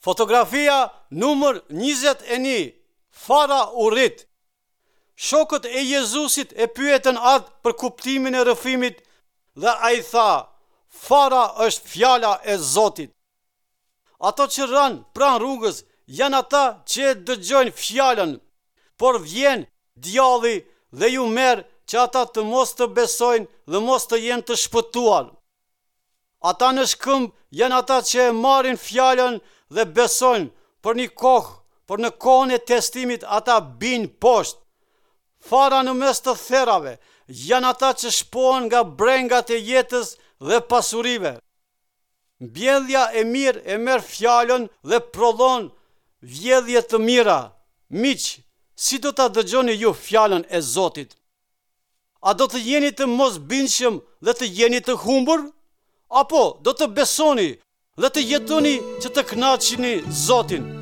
Fotografia numër 21 Fara u rrit. Shokët e Jezusit e pyetën atë për kuptimin e rrëfimit dhe ai tha, Fara është fjala e Zotit. Ato që ranë pranë rrugës janë ata që e dëgjojnë fjalën, por vjen djalli dhe ju merr që ata të mos të besojnë dhe mos të jenë të shpëtuar. Ata në shkëmb janë ata që e marrin fjalën dhe besojnë për një kohë, por në kohën e testimit ata bijnë poshtë. Fara në mes të therave janë ata që shpohen nga brengat e jetës dhe pasurive. Mbjellja e mirë e merr fjalën dhe prodhon vjellje të mira. Miq, si do ta dëgjoni ju fjalën e Zotit? A do të jeni të mosbindshëm dhe të jeni të humbur? Apo do të besoni dhe të jetoni që të kënaqni Zotin?